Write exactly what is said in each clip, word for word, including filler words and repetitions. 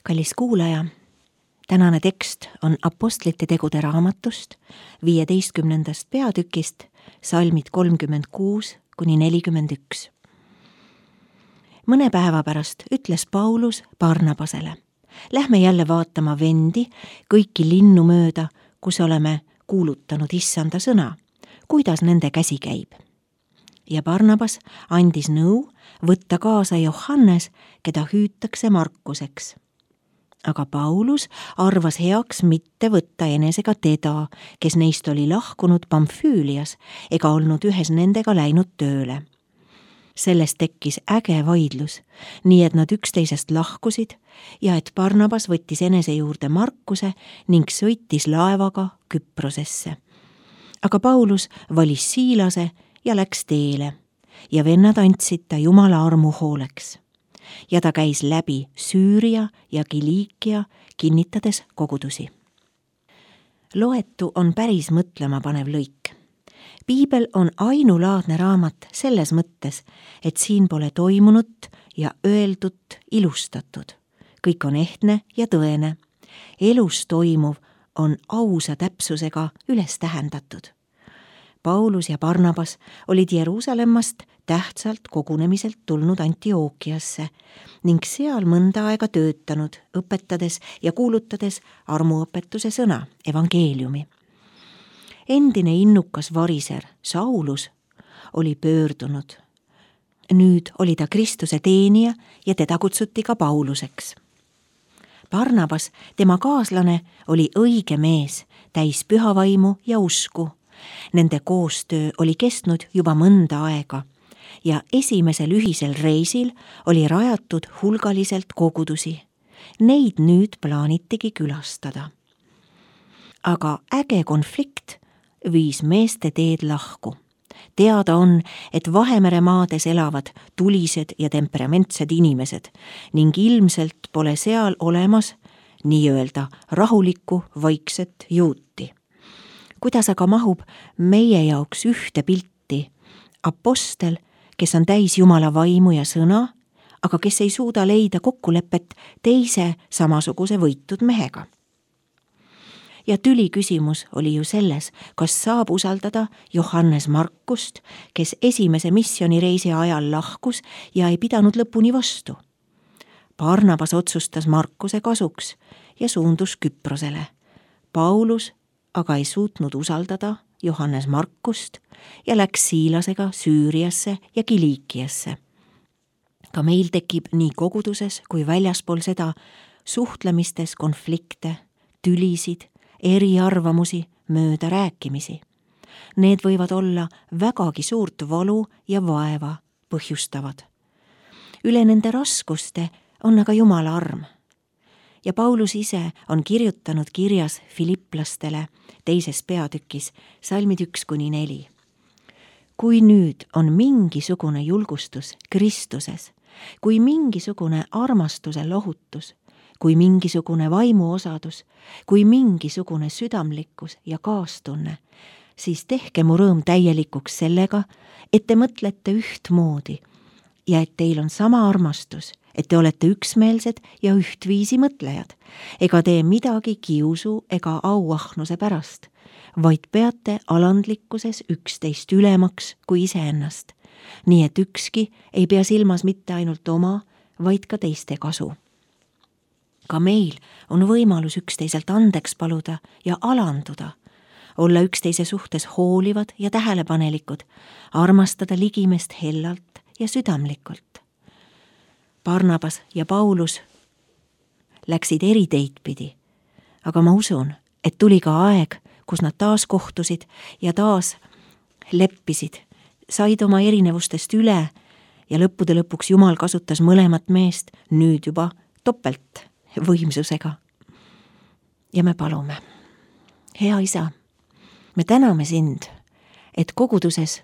Kallis kuulaja, tänane tekst on Apostlite tegude raamatust viieteistkümnendast peatükist, salmid kolmkümmend kuus kuni nelikümmend üks. Mõne päeva pärast ütles Paulus Barnabasele: lähme jälle vaatama vendi kõiki linnu mööda, kus oleme kuulutanud issanda sõna, kuidas nende käsi käib. Ja Barnabas andis nõu võtta kaasa Johannes, keda hüütakse Markuseks. Aga Paulus arvas heaks mitte võtta enesega teda, kes neist oli lahkunud Pamfüülias ega olnud ühes nendega läinud tööle. Sellest tekkis äge vaidlus, nii et nad üksteisest lahkusid ja et Barnabas võttis enese juurde Markuse ning sõitis laevaga Küprosesse. Aga Paulus valis Siilase ja läks teele ja vennad andsid ta Jumala armu hooleks. Ja ta käis läbi Süüria ja Kiliikia, kinnitades kogudusi. Loetu on päris mõtlema panev lõik. Piibel on ainulaadne raamat selles mõttes, et siin pole toimunut ja öeldut ilustatud. Kõik on ehtne ja tõene. Elus toimuv on ausa täpsusega üles tähendatud. Paulus ja Barnabas olid Jeruusalemmast tähtsalt kogunemiselt tulnud Antiookiasse ning seal mõnda aega töötanud, õpetades ja kuulutades armuõpetuse sõna, evangeeliumi. Endine innukas variser Saulus oli pöördunud. Nüüd oli ta Kristuse teenija ja teda kutsuti ka Pauluseks. Barnabas, tema kaaslane, oli õige mees, täis pühavaimu ja usku. Nende koostöö oli kestnud juba mõnda aega ja esimesel ühisel reisil oli rajatud hulgaliselt kogudusi. Neid nüüd plaanitigi külastada. Aga äge konflikt viis meeste teed lahku. Teada on, et Vahemere maades elavad tulised ja temperamentsed inimesed ning ilmselt pole seal olemas nii-öelda rahulikku vaikset juuti. Kuidas aga mahub meie jaoks ühte pilti apostel, kes on täis Jumala vaimu ja sõna, aga kes ei suuda leida kokkulepet teise samasuguse võitud mehega. Ja tüli küsimus oli ju selles, kas saab usaldada Johannes Markust, kes esimese missionireisi ajal lahkus ja ei pidanud lõpuni vastu. Barnabas otsustas Markuse kasuks ja suundus Küprosele. Paulus aga ei suutnud usaldada Johannes Markust ja läks Siilasega Süüriasse ja Kiliikiasse. Ka meil tekib nii koguduses kui väljaspool seda suhtlemistes konflikte, tülisid, eriarvamusi, mööda rääkimisi. Need võivad olla vägagi suurt valu ja vaeva põhjustavad. Üle nende raskuste on aga Jumala arm. Ja Paulus ise on kirjutanud kirjas Filipplastele teises peatükis, salmid üks kuni neli. Kui nüüd on mingisugune julgustus Kristuses, kui mingisugune armastuse lohutus, kui mingisugune vaimuosadus, kui mingisugune südamlikkus ja kaastunne, siis tehke mu rõõm täielikuks sellega, et te mõtlete ühtmoodi ja et teil on sama armastus, et te olete üksmeelsed ja ühtviisi mõtlejad, ega tee midagi kiusu ega auahnuse pärast, vaid peate alandlikkuses üksteist ülemaks kui iseennast, nii et ükski ei pea silmas mitte ainult oma, vaid ka teiste kasu. Ka meil on võimalus üksteiselt andeks paluda ja alanduda, olla üksteise suhtes hoolivad ja tähelepanelikud, armastada ligimest hellalt ja südamlikult. Barnabas ja Paulus läksid eri teid pidi, aga ma usun, et tuli ka aeg, kus nad taas kohtusid ja taas leppisid, said oma erinevustest üle ja lõppude lõpuks Jumal kasutas mõlemat meest nüüd juba topelt võimsusega. Ja me palume: hea isa, me täname sind, et koguduses,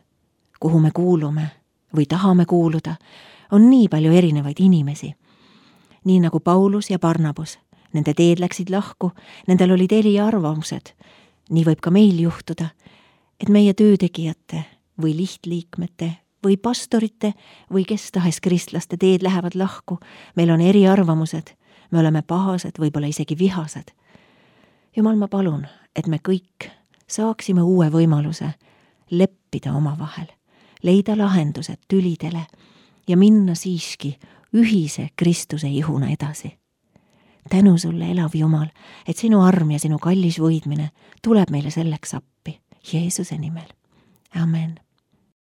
kuhu me kuulume või tahame kuuluda, on nii palju erinevaid inimesi. Nii nagu Paulus ja Barnabas, nende teed läksid lahku, nendel olid eriarvamused. Nii võib ka meil juhtuda, et meie töötegijate või lihtliikmete või pastorite või kes tahes kristlaste teed lähevad lahku. Meil on eriarvamused, me oleme pahased, võib-olla isegi vihased. Jumal, ma palun, et me kõik saaksime uue võimaluse leppida omavahel, leida lahendused tülidele ja minna siiski ühise Kristuse ihuna edasi. Tänu sulle, elav Jumal, et sinu arm ja sinu kallis võidmine tuleb meile selleks appi. Jeesuse nimel. Amen.